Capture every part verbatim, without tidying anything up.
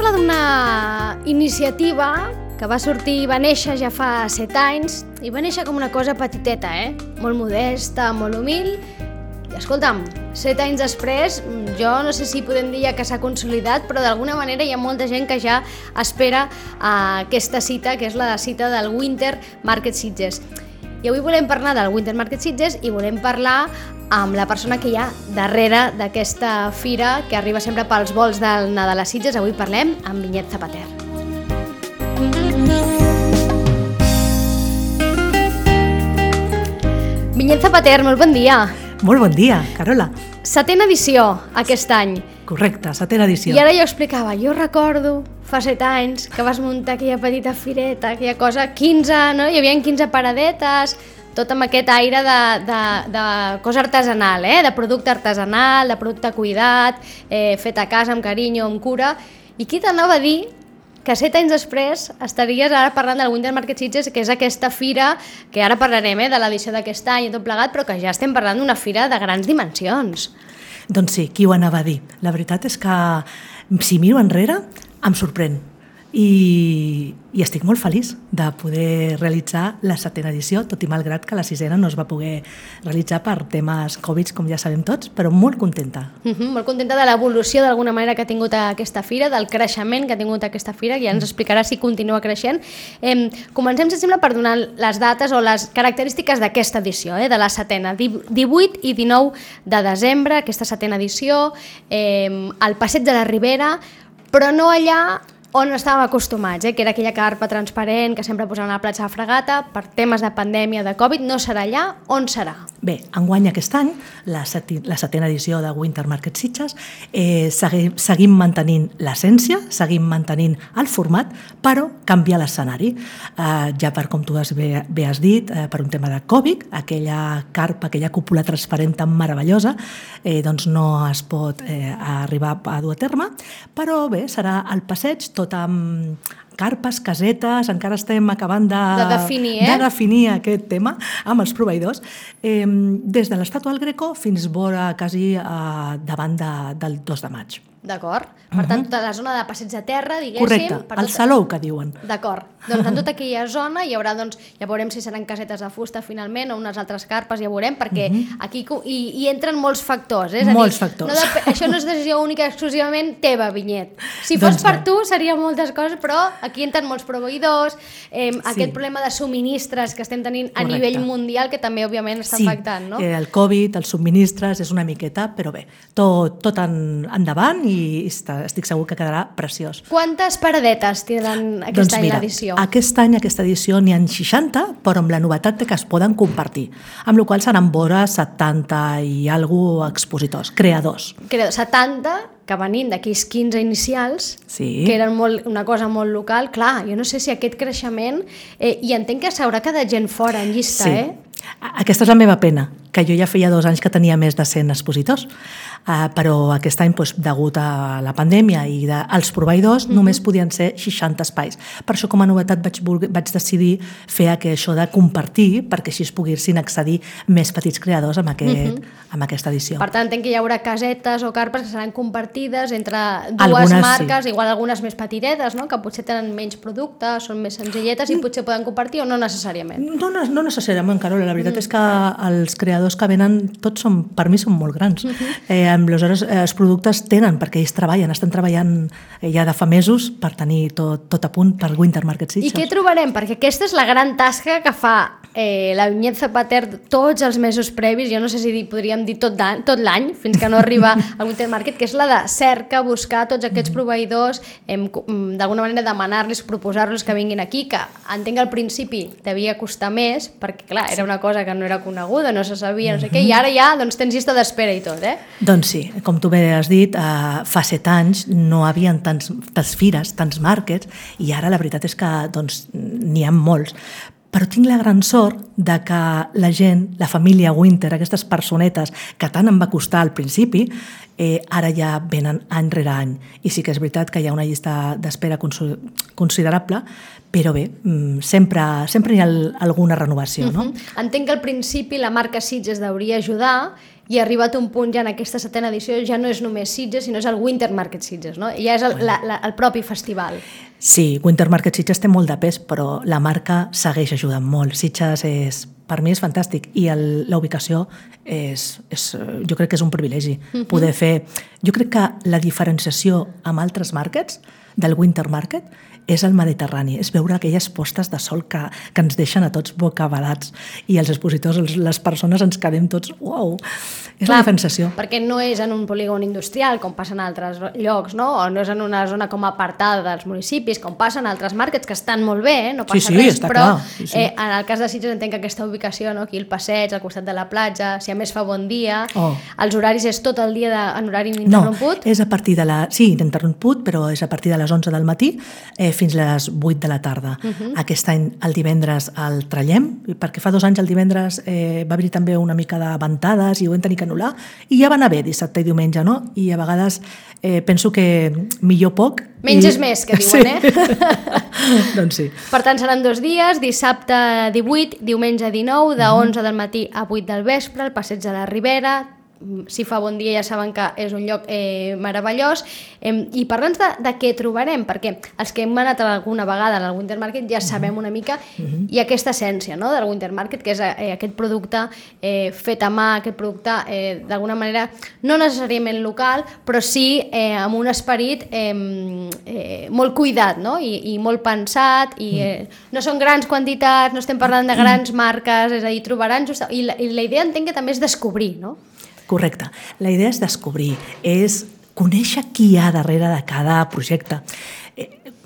parlar d'una iniciativa que va sortir i va néixer ja fa set anys, i va néixer com una cosa petiteta, eh? Molt modesta, molt humil. I escolta'm, set anys després, jo no sé si podem dir ja que s'ha consolidat, però d'alguna manera hi ha molta gent que ja espera uh, aquesta cita, que és la cita del Winter Market Sitges. I avui volem parlar del Winter Market Sitges i volem parlar amb la persona que hi ha darrere d'aquesta fira que arriba sempre pels vols del Nadal a Sitges. Avui parlem amb Vinyet Zapater. Vinyet Zapater, molt bon dia. Molt bon dia, Carola. Setena edició aquest any. Correcte, setena edició. I ara jo explicava, jo recordo fa set anys que vas muntar aquella petita fireta, aquella cosa, quinze, no? Hi havia quinze paradetes, tot amb aquest aire de, de, de cosa artesanal, eh? De producte artesanal, de producte cuidat, eh, fet a casa, amb carinyo, amb cura. I qui t'anava a dir que set anys després estaries ara parlant del Winter Market Sitges, que és aquesta fira, que ara parlarem eh, de l'edició d'aquest any i tot plegat, però que ja estem parlant d'una fira de grans dimensions. Doncs sí, qui ho anava a dir? La veritat és que, si miro enrere, em sorprèn. I, i estic molt feliç de poder realitzar la setena edició, tot i malgrat que la sisena no es va poder realitzar per temes Covid, com ja sabem tots, però molt contenta. Uh-huh, molt contenta de l'evolució d'alguna manera que ha tingut aquesta fira, del creixement que ha tingut aquesta fira, que ja ens explicarà si continua creixent. Eh, comencem, si sembla, per donar les dates o les característiques d'aquesta edició, eh, de la setena, divuit i dinou de desembre, aquesta setena edició, eh, al Passeig de la Ribera, però no allà on estàvem acostumats, eh? Que era aquella carpa transparent que sempre posaven a la platja de Fragata. Per temes de pandèmia, de Covid, no serà allà. On serà? Bé, enguany aquest any, la, seti, la setena edició de Winter Market Sitges, eh, seguim, seguim mantenint l'essència, seguim mantenint el format, però canvia l'escenari. Eh, ja per, com tu has, bé, bé has dit, eh, per un tema de Covid, aquella carpa, aquella cúpula transparent tan meravellosa, eh, doncs no es pot eh, arribar a dur a terme, però bé, serà el passeig, tot amb carpes, casetes, encara estem acabant de, de, definir, eh? de definir aquest tema amb els proveïdors, eh, des de l'Estàtua del Greco fins vora quasi eh, davant de, del dos de maig. D'acord. Per tant, tota la zona de passeig de terra, diguéssim... Correcte, per el tot... salou que diuen. D'acord. Doncs en tota aquella zona hi haurà, doncs, ja veurem si seran casetes de fusta finalment o unes altres carpes, ja veurem, perquè uh-huh. aquí hi, hi entren molts factors. Eh? És molts a dir, factors. No de... Això no és decisió única exclusivament teva, Vinyet. Si fos doncs per bé. Tu seria moltes coses, però aquí entren molts proveïdors, eh, sí. Aquest problema de subministres que estem tenint Correcte. A nivell mundial, que també, òbviament, està sí. afectant, no? Sí, el Covid, els subministres, és una miqueta, però bé, tot, tot en, endavant i està, estic segur que quedarà preciós. Quantes paradetes tindran aquest doncs any mira, l'edició? Aquest any, aquesta edició, n'hi ha seixanta, però amb la novetat de que es poden compartir, amb la qual seran vora setanta i alguna expositors, creadors. Creadors, setanta, que venint d'aquells quinze inicials, sí. Que eren molt, una cosa molt local. Clar, jo no sé si aquest creixement... Eh, I entenc que s'haurà quedat gent fora en llista, sí. eh? Aquesta és la meva pena, que jo ja feia dos anys que tenia més de cent expositors, uh, però aquest any, doncs, degut a la pandèmia i de, als proveïdors, mm-hmm. només podien ser seixanta espais. Per això, com a novetat, vaig, vaig decidir fer això de compartir, perquè així es poguessin accedir més petits creadors amb, aquest, mm-hmm. amb aquesta edició. Per tant, entenc que hi haurà casetes o carpes que seran compartides entre dues algunes, marques, sí. Igual algunes més petitetes, no? Que potser tenen menys productes, són més senzilletes i potser poden compartir o no necessàriament? No, no, no necessàriament, Carola. La veritat mm. és que els creadors que venen, tots són, per mi són molt grans. Mm-hmm. Eh, aleshores, eh, els productes tenen, perquè ells treballen, estan treballant eh, ja de fa mesos per tenir tot, tot a punt per Winter Market Sitges. I què trobarem? Perquè aquesta és la gran tasca que fa eh, la Vinyet Zapater tots els mesos previs, jo no sé si podríem dir tot, tot l'any, fins que no arriba al Winter Market, que és la de cerca, buscar tots aquests proveïdors, eh, d'alguna manera demanar-los, proposar-los que vinguin aquí, que entenc que al principi devia costar més, perquè clar, era una cosa que no era coneguda, no se sabia, no sé què, i ara ja doncs, tens llista d'espera i tot, eh? Doncs sí, com tu bé has dit, eh, fa set anys no hi havia tants, tants fires, tants markets, i ara la veritat és que doncs, n'hi ha molts. Però tinc la gran sort de que la gent, la família Winter, aquestes personetes que tant em va costar al principi, eh, ara ja venen any rere any. I sí que és veritat que hi ha una llista d'espera considerable, però bé, sempre, sempre hi ha alguna renovació. No? Uh-huh. Entenc que al principi la marca Sitges hauria ajudar i ha arribat un punt ja en aquesta setena edició, ja no és només Sitges, sinó és el Winter Market Sitges, no? Ja és el, la, la, el propi festival. Sí, Winter Market Sitges té molt de pes, però la marca segueix ajudant molt. Sitges és, per mi és fantàstic i el, la ubicació és, és, jo crec que és un privilegi. Uh-huh. Poder fer... Jo crec que la diferenciació amb altres markets del Winter Market és el Mediterrani, és veure aquelles postes de sol que, que ens deixen a tots bocabadats i els expositors, els, les persones ens quedem tots, uau, és Clar, la diferenciació. Perquè no és en un polígon industrial com passa en altres llocs, no? O no és en una zona com apartada dels municipis, com passa en altres markets que estan molt bé, eh? No passa sí, sí, res, està però clar, sí, sí. Eh, en el cas de Sitges entenc que aquesta ubicació, no? Aquí el passeig, al costat de la platja, si a més fa bon dia, oh. els horaris és tot el dia de, en horari ininterromput? No, és a partir de la... Sí, ininterromput, però és a partir de les onze del matí eh, fins a les vuit de la tarda. Uh-huh. Aquest any, el divendres, el trallem, perquè fa dos anys el divendres eh, va haver-hi també una mica de ventades i ho vam tenir que anul·lar, i ja va anar bé dissabte i diumenge, no? I a vegades eh, penso que millor poc... Menys i... és més, que diuen, sí. eh? Doncs sí. Per tant, seran dos dies, dissabte divuit, diumenge dinou, de uh-huh. onze del matí a vuit del vespre, el passeig de la Ribera. Si fa bon dia ja saben que és un lloc eh, meravellós. Eh, I parla'ns de, de què trobarem, perquè els que hem anat alguna vegada al Winter Market ja sabem una mica, uh-huh. i aquesta essència, no?, del Winter Market, que és eh, aquest producte eh, fet a mà, aquest producte eh, d'alguna manera no necessàriament local, però sí eh, amb un esperit eh, eh, molt cuidat, no?, I, i molt pensat, i eh, no són grans quantitats, no estem parlant de grans marques, és a dir, trobaran just... I la, i la idea entenc que també és descobrir, no? Correcte. La idea és descobrir, és conèixer qui hi ha darrere de cada projecte.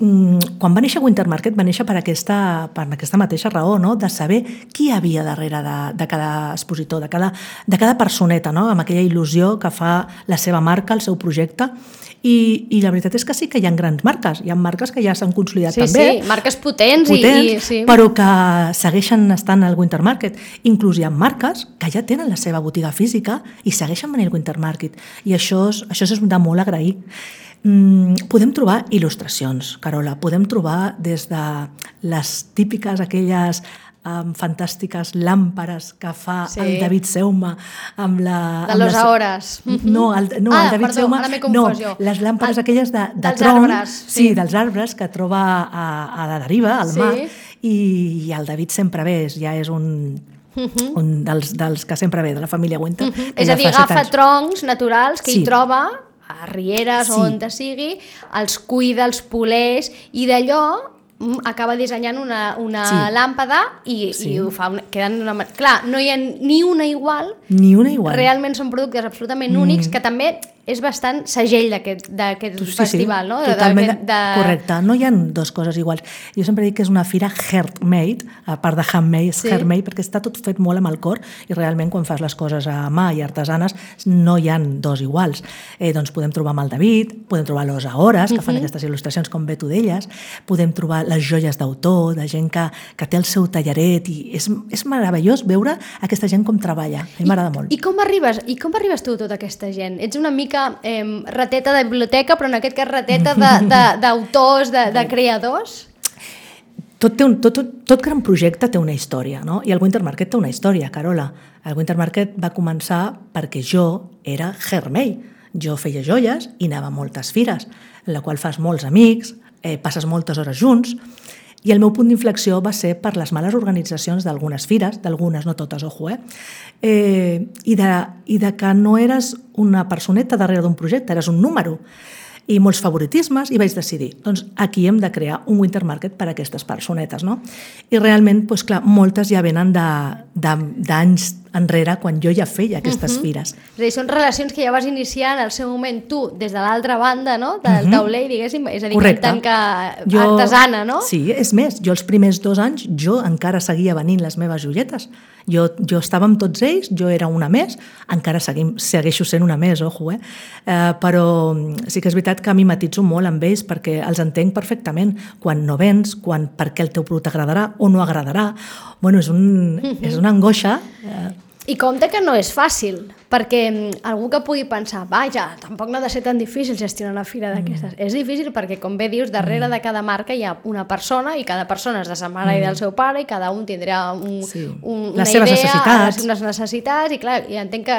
Quan va néixer Winter Market va néixer per aquesta, per aquesta mateixa raó, no?, de saber qui hi havia darrere de, de cada expositor, de cada, de cada personeta, no?, amb aquella il·lusió que fa la seva marca, el seu projecte. I, i la veritat és que sí que hi ha grans marques, hi ha marques que ja s'han consolidat sí, també. Sí, marques potents, potents i, i, sí. però que segueixen estant al Winter Market. Inclús hi ha marques que ja tenen la seva botiga física i segueixen venint al Winter Market. I això és, això és de molt agrair. Mm, podem trobar il·lustracions, Carola, podem trobar des de les típiques, aquelles amb fantàstiques làmpares que fa sí. el David Seuma amb la... De los ahores. No, el, no, ah, el David perdó, Seuma... ara m'he confós jo. No, les làmpares el, aquelles de, de dels tronc, arbres. Sí. sí, dels arbres que troba a, a la deriva, al sí. mar, i, i el David sempre ve, ja és un... Uh-huh. un dels, dels que sempre ve, de la família Winter. Uh-huh. És a dir, agafa troncs naturals que sí. hi troba a rieres sí. o on te sigui, els cuida, els poleix, i d'allò acaba dissenyant una, una sí. làmpada i, sí. i ho fa, queden una... Clar, no hi ha ni una igual. Ni una igual. Realment són productes absolutament únics, mm. que també és bastant segell d'aquest sí, festival, sí. no? Totalment, de, de... correcte. No hi ha dues coses iguals. Jo sempre dic que és una fira handmade, a part de handmade, és sí. handmade, perquè està tot fet molt amb el cor i realment quan fas les coses a mà i artesanes no hi ha dos iguals. Eh, doncs podem trobar amb el David, podem trobar los Ahores, que uh-huh. fan aquestes il·lustracions com bé tu d'elles, podem trobar les joies d'autor, de gent que, que té el seu tallaret, i és, és meravellós veure aquesta gent com treballa. A mi m'agrada molt. I com arribes, i com arribes tu a tota aquesta gent? Ets una mica Eh, rateta de biblioteca, però en aquest cas rateta d'autors, de, de, de, de creadors? Tot, té un, tot, tot gran projecte té una història, no? I el Winter Market té una història, Carola. El Winter Market va començar perquè jo era handmade. Jo feia joies i anava a moltes fires, en la qual fas molts amics, eh, passes moltes hores junts, i el meu punt d'inflexió va ser per les males organitzacions d'algunes fires, d'algunes, no totes, ojo, eh? eh i, de, I de que no eres una personeta darrere d'un projecte, eres un número. I molts favoritismes, i vaig decidir, doncs aquí hem de crear un Winter Market per a aquestes personetes, no? I realment, doncs clar, moltes ja venen d'anys enrere, quan jo ja feia aquestes uh-huh. fires. És a dir, són relacions que ja vas iniciar en el seu moment tu, des de l'altra banda, no?, del uh-huh. tauler, diguéssim, és a dir, correcte. En tant que jo, artesana, no? Sí, és més, jo els primers dos anys, jo encara seguia venint les meves joietes. Jo, jo estava amb tots ells, jo era una més, encara seguim, segueixo sent una més, ojo, eh? eh? Però sí que és veritat que mimetitzo molt amb ells perquè els entenc perfectament quan no vens, quan per què el teu producte agradarà o no agradarà. Bueno, és, un, uh-huh. és una angoixa. Eh? I compte que no és fàcil, perquè algú que pugui pensar, vaja, tampoc no ha de ser tan difícil gestionar una fira d'aquestes. Mm. És difícil perquè, com bé dius, darrere mm. de cada marca hi ha una persona i cada persona és de sa mare mm. i del seu pare i cada un tindrà un, sí. un, una les idea, necessitats. unes necessitats i clar, i entenc que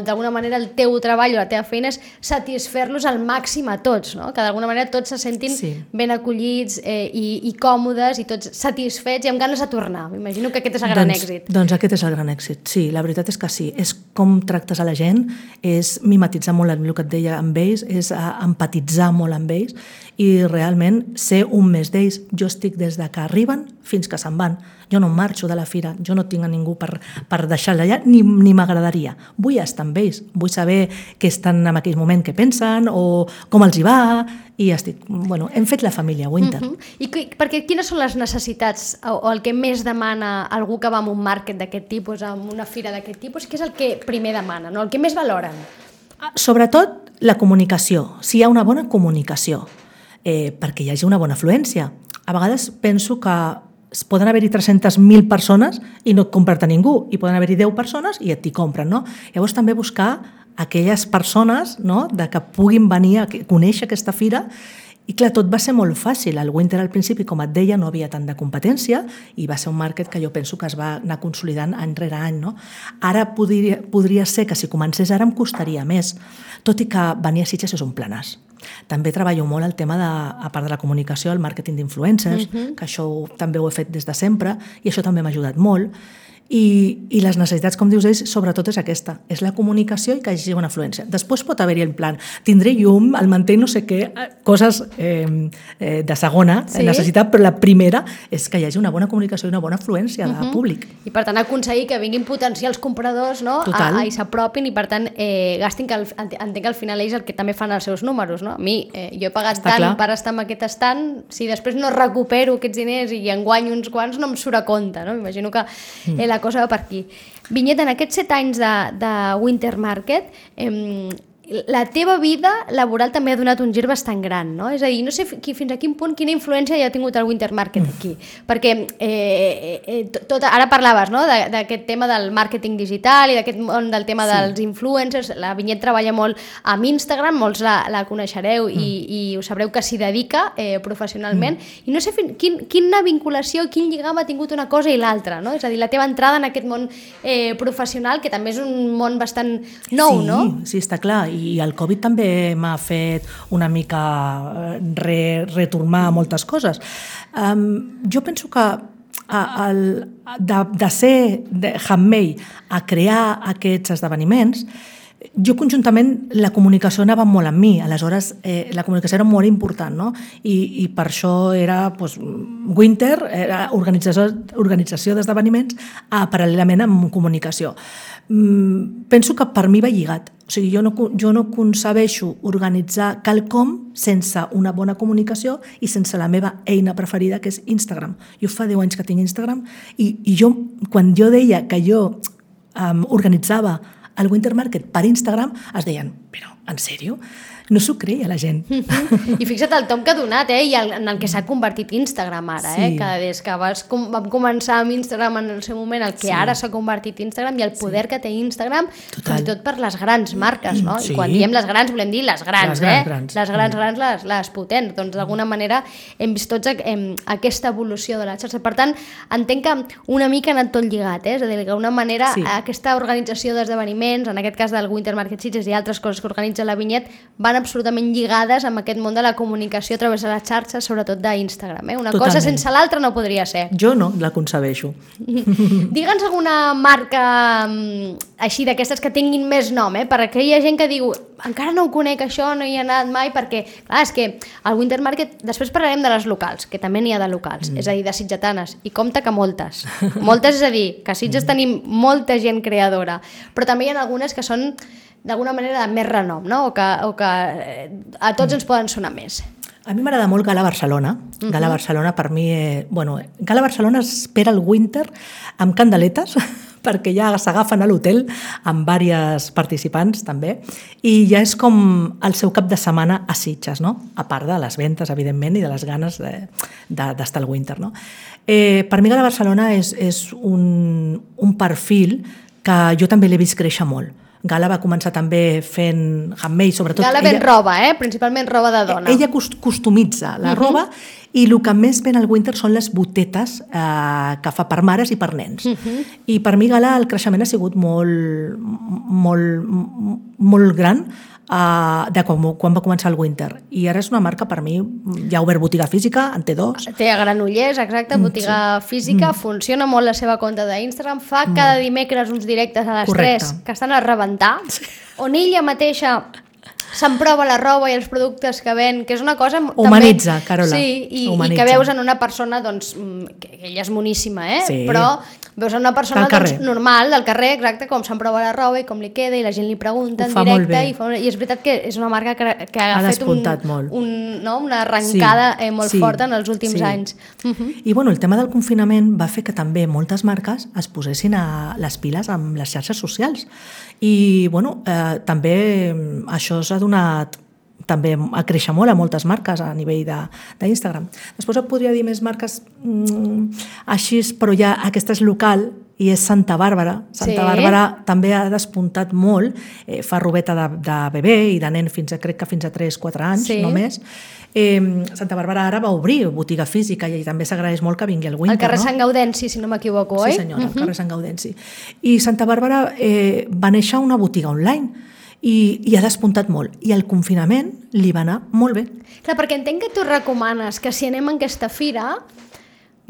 d'alguna manera el teu treball o la teva feina és satisfer-los al màxim a tots, no? Que d'alguna manera tots se sentin sí. ben acollits eh, i, i còmodes i tots satisfets i amb ganes de tornar. M'imagino que aquest és el gran doncs, èxit. Doncs aquest és el gran èxit, sí, la veritat és que sí. És com tractes a la gent, és mimetitzar molt el que et deia amb ells, és empatitzar molt amb ells i realment ser un més d'ells. Jo estic des de que arriben fins que se'n van. Jo no marxo de la fira, jo no tinc a ningú per, per deixar-la allà, ni, ni m'agradaria. Vull estar amb ells, vull saber què estan en aquell moment, què pensen o com els hi va, i estic, bueno, hem fet la família Winter. Uh -huh. I que, perquè quines són les necessitats o, o el que més demana algú que va a un market d'aquest tipus, a una fira d'aquest tipus, què és el que primer demana, no? El que més valoren? Sobretot la comunicació, si hi ha una bona comunicació, eh, perquè hi hagi una bona afluència. A vegades penso que poden haver-hi tres-centes mil persones i no et comprar-te ningú, i poden haver-hi deu persones i et t'hi compren, no? Llavors també buscar aquelles persones, no?, de que puguin venir a conèixer aquesta fira. I clar, tot va ser molt fàcil. El Winter al principi, com et deia, no havia tant de competència i va ser un market que jo penso que es va anar consolidant any rere any, no? Ara podria, podria ser que si comencés ara em costaria més, tot i que venir a Sitges és un planàs. També treballo molt el tema, de, a part de la comunicació, el màrqueting d'influencers, uh-huh. que això també ho he fet des de sempre i això també m'ha ajudat molt. I, i les necessitats, com dius ells, sobretot és aquesta, és la comunicació i que hi hagi una afluència. Després pot haver-hi en plan, tindré llum, el mantell no sé què, coses eh, eh, de segona sí. necessitat, però la primera és que hi hagi una bona comunicació i una bona afluència de uh-huh. públic. I per tant aconseguir que vinguin potencials compradors, no? a, a, i s'apropin i per tant eh, gastin, que el, entenc que al final ells el que també fan els seus números, no? A mi, eh, jo he pagat Està tant clar. per estar en aquest estant, si després no recupero aquests diners i en guanyo uns quants, no em surt a compte, no? M'imagino que eh, la cosa va per aquí. Vinyet, en aquests set anys de, de Winter Market, eh, la teva vida laboral també ha donat un gir bastant gran, no? És a dir, no sé fins a quin punt, quina influència hi ha tingut el Winter Market aquí, perquè eh, eh, tot, ara parlaves, no?, d'aquest tema del màrqueting digital i d'aquest món del tema sí. dels influencers. La Vinyet treballa molt amb Instagram, molts la, la coneixereu mm. i, i us sabreu que s'hi dedica eh, professionalment, mm. i no sé fin, quin, quina vinculació, quin lligam ha tingut una cosa i l'altra, no? És a dir, la teva entrada en aquest món eh, professional, que també és un món bastant nou, sí, no? Sí, està clar, i el Covid també m'ha fet una mica re, retornar moltes coses. Um, jo penso que a, el, de, de ser de handmade a crear aquests esdeveniments, jo conjuntament la comunicació anava molt amb mi, aleshores eh, la comunicació era molt important, no? I, i per això era doncs, Winter, era organització, organització d'esdeveniments eh, paral·lelament amb comunicació. Mm, penso que per mi va lligat, o sigui, jo no, jo no concebeixo organitzar quelcom sense una bona comunicació i sense la meva eina preferida, que és Instagram. Jo fa deu anys que tinc Instagram i, i jo, quan jo deia que jo um, organitzava el Winter Market per Instagram, es deien, però, en sèrio? No s'ho creia la gent. Mm-hmm. I fixa't el tom que ha donat, eh? I el, en el que s'ha convertit Instagram ara, sí. eh? Que des que vas, com, vam començar amb Instagram en el seu moment, el que sí. ara s'ha convertit Instagram i el poder sí. que té Instagram, Total. fins i tot per les grans marques, no? Sí. I quan diem les grans, volem dir les grans, les grans, eh? Grans. Les grans, mm. grans, les, les potents. Doncs d'alguna manera hem vist tots hem, aquesta evolució de la xarxa. Per tant, entenc que una mica ha anat tot lligat, eh? És a dir, d'alguna manera sí. aquesta organització d'esdeveniments, en aquest cas del Winter Market Sitges i altres coses que organitza la Vinyet, van absolutament lligades amb aquest món de la comunicació a través de les xarxes, sobretot d'Instagram. Eh? Una Totalment. cosa sense l'altra no podria ser. Jo no, la concebeixo. Digue'ns alguna marca així d'aquestes que tinguin més nom, eh? Per aquella gent que diu encara no ho conec això, no hi he anat mai, perquè clar, és que al Winter Market, després parlarem de les locals, que també n'hi ha de locals, mm. és a dir, de sitgetanes, i compte que moltes. Moltes, és a dir, que a Sitges mm. tenim molta gent creadora, però també hi ha algunes que són d'alguna manera de més renom, no? O que, o que a tots ens poden sonar més. A mi m'agrada molt Gala Barcelona. Uh-huh. Gala Barcelona per mi... Eh, bueno, Gala Barcelona espera el Winter amb candeletes perquè ja s'agafen a l'hotel amb diversos participants també i ja és com el seu cap de setmana a Sitges, no? A part de les ventes, evidentment, i de les ganes de, de, d'estar al Winter, no? Eh, per mi Gala Barcelona és, és un, un perfil que jo també l'he vist créixer molt. Gala va començar també fent handmade, sobretot... Gala ven roba, eh? Principalment roba de dona. Ella customitza la uh -huh. roba i el que més ven al Winter són les botetes eh, que fa per mares i per nens. Uh -huh. I per mi Gala el creixement ha sigut molt, molt, molt gran Uh, de quan, quan va començar el Winter. I ara és una marca, per mi, ja ha obert botiga física, en té dos. Té a Granollers, exacte, botiga sí. física, mm. funciona molt la seva compte d'Instagram, fa mm. cada dimecres uns directes a les Correcte. tres que estan a rebentar, sí. on ella mateixa s'emprova la roba i els productes que ven, que és una cosa... Humanitza, també, Carola. Sí, i, Humanitza. i que veus en una persona, doncs, que ella és moníssima, eh? Sí. Però veus en una persona doncs, normal, del carrer, exacte, com s'emprova la roba i com li queda, i la gent li pregunta en directe, i, fa, i és veritat que és una marca que, que ha, ha fet un, un, no, una arrencada sí, eh, molt sí, forta en els últims sí. anys. Uh -huh. I bueno, el tema del confinament va fer que també moltes marques es posessin a les piles amb les xarxes socials. I bueno, eh, també això s'ha donat també a créixer molt a moltes marques a nivell d'Instagram. Després et podria dir més marques mm, així, però ja aquesta és local i és Santa Bàrbara. Santa sí. Bàrbara també ha despuntat molt, eh, fa robeta de, de bebè i de nen fins a, crec que fins a tres quatre anys sí. només. Eh, Santa Bàrbara ara va obrir botiga física i també s'agraeix molt que vingui el Winter. Al carrer no? Sant Gaudenci, si no m'equivoco, oi? Sí senyora, al carrer Sant Gaudenci. I Santa Bàrbara eh, va néixer una botiga online i, i ha despuntat molt. I el confinament li va anar molt bé. Clar, perquè entenc que tu recomanes que si anem a aquesta fira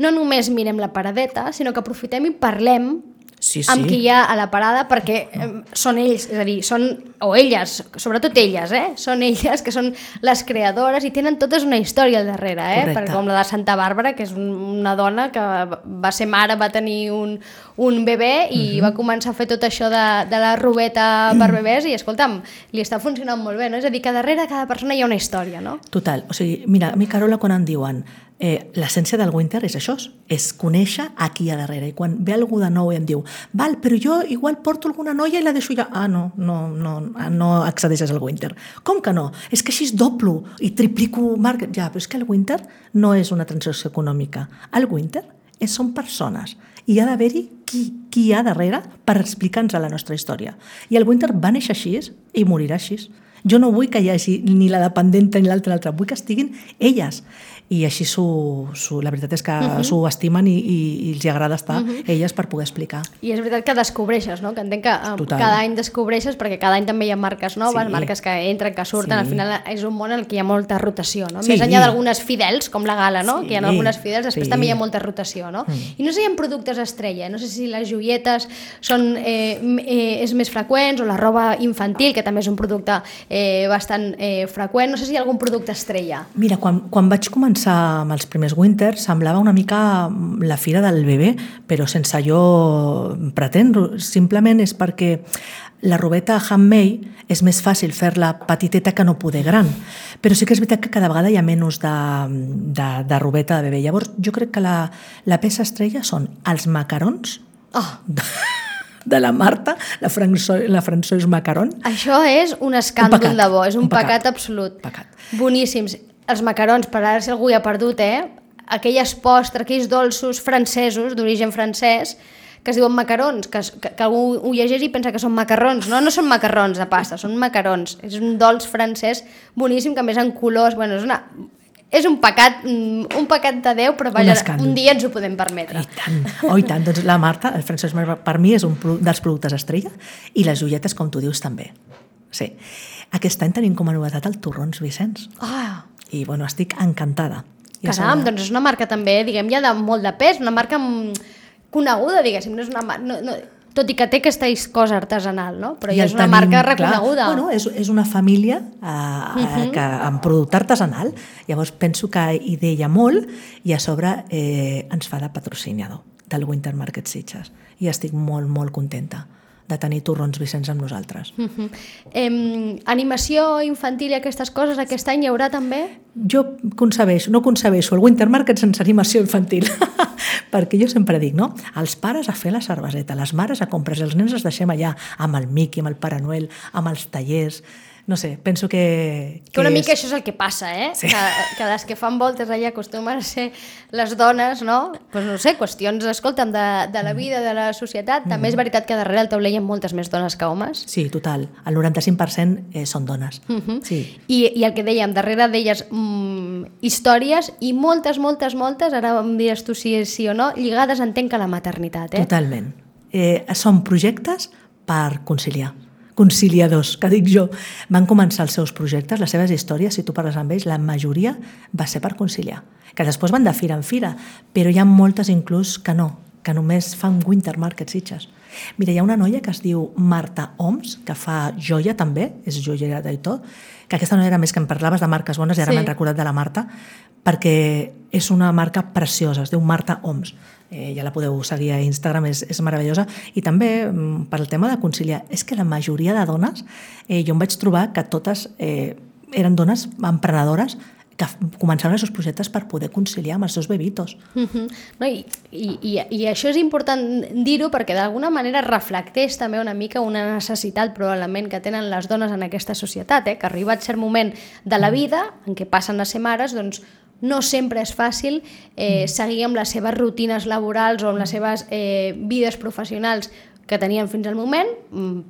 no només mirem la paradeta, sinó que aprofitem i parlem sí, sí. amb qui hi ha a la parada, perquè eh, són ells, és a dir, són, o elles, sobretot elles, eh? Són elles que són les creadores i tenen totes una història al darrere, eh? Perquè com la de Santa Bàrbara, que és una dona que va ser mare, va tenir un, un bebè i uh-huh. va començar a fer tot això de, de la robeta per bebès i, escolta'm, li està funcionant molt bé, no? És a dir, que darrere cada persona hi ha una història, no? Total, o sigui, mira, a mi, Carola, quan em diuen Eh, l'essència del Winter és això, és conèixer a qui hi ha darrere. I quan ve algú de nou i em diu, val, però jo igual porto alguna noia i la deixo ja. Ah, no, no, no, no accedeixes al Winter. Com que no? És que així es doblo i triplico market. Ja, però és que el Winter no és una transacció econòmica. El Winter és, són persones i ha d'haver-hi qui, qui hi ha darrere per explicar-nos la nostra història. I el Winter va néixer així i morirà així. Jo no vull que hi hagi ni la dependenta ni l'altra, l'altra. Vull que estiguin elles. I així su, su, la veritat és que uh-huh. s'ho estimen i, i, i els agrada estar uh-huh. elles per poder explicar. I és veritat que descobreixes, no? Que entenc que Total. cada any descobreixes, perquè cada any també hi ha marques noves, sí. marques que entren, que surten, sí. al final és un món en què hi ha molta rotació, no? Sí. Més enllà d'algunes fidels, com la Gala, no? Sí. Que hi ha algunes fidels, després sí. també hi ha molta rotació, no? Mm. I no sé si hi ha productes estrella, no sé si les joietes són, eh, eh, és més freqüents, o la roba infantil, que també és un producte eh, bastant eh, freqüent, no sé si hi ha algun producte estrella. Mira, quan, quan vaig començar amb els primers Winters semblava una mica la fira del bebè, però sense jo pretendre, simplement és perquè la robeta handmade és més fàcil fer-la petiteta que no poder gran, però sí que és veritat que cada vegada hi ha menys de, de, de robeta de bebè. Llavors jo crec que la, la peça estrella són els macarons oh. de, de la Marta, la, François, la François Macaron. Això és un escàndol un de bo, és un, un pecat, pecat absolut. Pecat. Boníssims. Els macarons, per ara si algú hi ha perdut, eh? Aquelles postres, aquells dolços francesos, d'origen francès, que es diuen macarons, que, que, que algú ho llegeix i pensa que són macarrons. No, no són macarrons de pasta, són macarons. És un dolç francès boníssim, que a més en colors... Bueno, és, una, és un pecat, un pecat de Déu, però vaja, un, un dia ens ho podem permetre. I tant, oh, i tant. Doncs la Marta, el francès per mi és un dels productes estrella i les joietes, com tu dius, també. Sí. Aquest any tenim com a novetat el Torrons Vicenç. Ah! I bueno, estic encantada. Caram, doncs és una marca també, diguem, ja de molt de pes, una marca coneguda, diguéssim, no és una marca... No, no, tot i que té aquesta cosa artesanal, no? Però ja és una tenim, marca reconeguda. Clar, bueno, és, és una família eh, uh-huh. que, amb producte artesanal, llavors penso que hi deia molt i a sobre eh, ens fa de patrocinador del Winter Market Sitges i estic molt, molt contenta de tenir Torrons Vicenç amb nosaltres. Uh-huh. eh, animació infantil i aquestes coses, aquest any hi haurà també? Jo concebeixo, no concebeixo el Winter Market sense animació infantil, perquè jo sempre dic, no? Els pares a fer la cerveseta, les mares a comprar, els nens els deixem allà amb el Mickey, amb el Pare Noel, amb els tallers. no sé, penso que... Que una és... mica això és el que passa, eh? Sí. Que, que les que fan voltes allà acostumen a ser les dones, no? Pues no sé, qüestions, escolta'm, de, de la vida, de la societat. També és veritat que darrere el taulell hi ha moltes més dones que homes. Sí, total. El noranta-cinc per cent eh, són dones. Uh -huh. Sí. I, I el que dèiem, darrere d'elles mmm, històries i moltes, moltes, moltes, ara em diràs tu si és sí o no, lligades entenc que a la maternitat, eh? Totalment. Eh, són projectes per conciliar. Conciliadors, que dic jo. Van començar els seus projectes, les seves històries, si tu parles amb ells, la majoria va ser per conciliar. Que després van de fira en fira, però hi ha moltes inclús que no, que només fan Winter Market Sitges. Mira, hi ha una noia que es diu Marta Oms, que fa joia també, és joiera d'Aitó, que aquesta noia era més que em parlaves de marques bones i ara Sí. m'he recordat de la Marta, perquè és una marca preciosa, es diu Marta Oms. Eh, ja la podeu seguir a Instagram, és, és meravellosa. I també, mm, per al tema de conciliar, és que la majoria de dones, eh, jo em vaig trobar que totes eh, eren dones emprenedores que començaven els seus projectes per poder conciliar amb els seus bebitos. Uh -huh. No, i, i, i, I això és important dir-ho perquè d'alguna manera reflecteix també una mica una necessitat probablement que tenen les dones en aquesta societat, eh? Que arribat cert moment de la vida en què passen a ser mares, doncs no sempre és fàcil eh, seguir amb les seves rutines laborals o amb les seves eh, vides professionals que tenien fins al moment,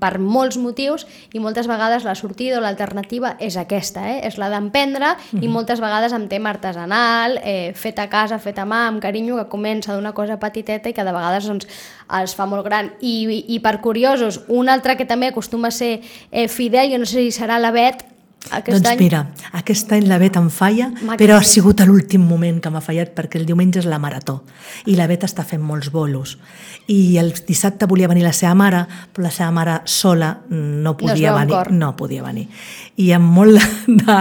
per molts motius, i moltes vegades la sortida o l'alternativa és aquesta, eh? És la d'emprendre, mm-hmm. i moltes vegades amb tema artesanal, eh, fet a casa, fet a mà, amb carinyo, que comença d'una cosa petiteta i que de vegades doncs, es fa molt gran. I, i, i per curiosos, un altre que també acostuma a ser eh, fidel, jo no sé si serà la Bet, aquest doncs any... mira, aquest any la Bet em falla, però ha sigut a l'últim moment que m'ha fallat perquè el diumenge és la marató i la Bet està fent molts bolos i el dissabte volia venir la seva mare, però la seva mare sola no podia no venir, no podia venir i amb molt de,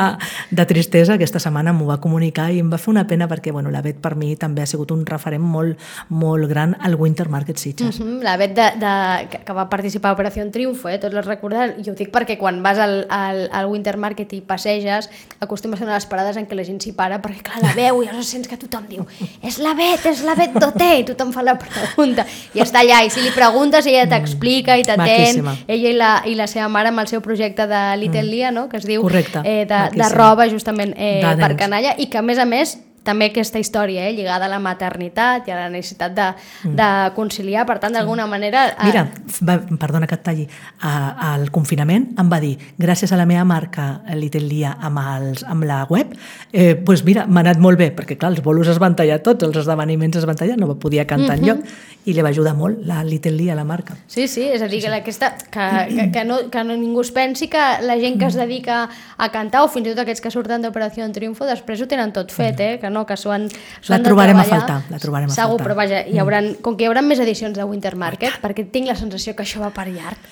de tristesa aquesta setmana m'ho va comunicar i em va fer una pena perquè bueno, la Bet per mi també ha sigut un referent molt, molt gran al Winter Market Sitges. Uh -huh, la Bet de, de, que, que va participar a Operació Triunfo, eh? Tots les recordem, jo ho dic perquè quan vas al, al, al Winter Market i passeges, acostuma a ser una de les parades en què la gent s'hi para, perquè clar, la veu i llavors sents que tothom diu és la Bet, és la Bet d'Oté, i tothom fa la pregunta, i està allà, i si li preguntes ella t'explica i t'atén, ella i la, i la seva mare amb el seu projecte de Little mm. Lia, no? Que es diu eh, de, de roba justament eh, per canalla, i que a més a més també aquesta història eh, lligada a la maternitat i a la necessitat de, mm. de conciliar, per tant, d'alguna sí. manera... Eh... Mira, va, perdona que et talli, a, al confinament em va dir, gràcies a la meva marca Little Lia amb, els, amb la web, eh, doncs mira, m'ha anat molt bé, perquè clar, els bolos es van tallar tots, els esdeveniments es van tallar, no podia cantar mm -hmm. enlloc, i li va ajudar molt la Little Lia, la marca. Sí, sí, és a dir, sí, sí. que, aquesta, que, que, que, no, que no ningú es pensi que la gent que es dedica a cantar, o fins i tot aquests que surten d'Operació Triunfo, després ho tenen tot fet, eh? Que no, que s'ho han, s'ho han la trobarem a faltar, la trobarem a segur, faltar. Però vaja, hi hauran, com que hi haurà més edicions de Winter Market, oh, perquè tinc la sensació que això va per llarg.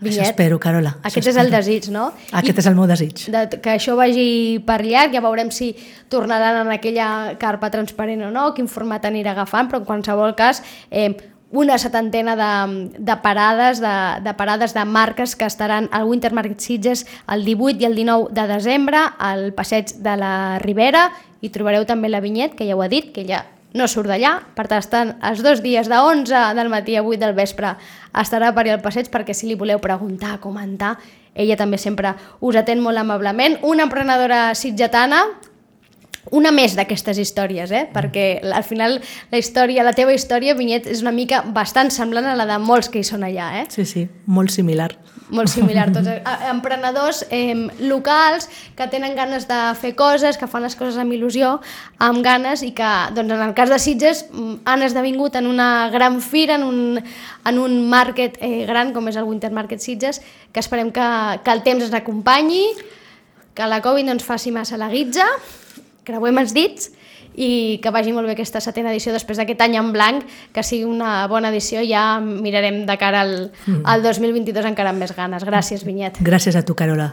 Vinyet, això espero, Carola. Aquest espero. és el desig, no? Aquest I és el meu desig. De, que això vagi per llarg, ja veurem si tornaran en aquella carpa transparent o no, quin format anirà agafant, però en qualsevol cas... Eh, una setantena de, de, parades, de, de parades de marques que estaran al Winter Market Sitges el divuit i el dinou de desembre al Passeig de la Ribera, i trobareu també la Vinyet, que ja ho ha dit, que ja no surt d'allà, per tant estan els dos dies de onze del matí a vuit del vespre estarà per allà al passeig, perquè si li voleu preguntar, comentar, ella també sempre us atén molt amablement. Una emprenedora sitgetana, una més d'aquestes històries, eh? Perquè al final la història, la teva història, Vinyet, és una mica bastant semblant a la de molts que hi són allà, eh? Sí, sí, molt similar. Molt similar, tots emprenedors eh, locals que tenen ganes de fer coses, que fan les coses amb il·lusió, amb ganes, i que, doncs, en el cas de Sitges, han esdevingut en una gran fira, en un, en un market eh, gran com és el Winter Market Sitges, que esperem que, que el temps ens acompanyi, que la Covid no ens faci massa la guitza, creuem els dits, i que vagi molt bé aquesta setena edició després d'aquest any en blanc, que sigui una bona edició. Ja mirarem de cara al, al dos mil vint-i-dos encara amb més ganes. Gràcies, Vinyet. Gràcies a tu, Carola.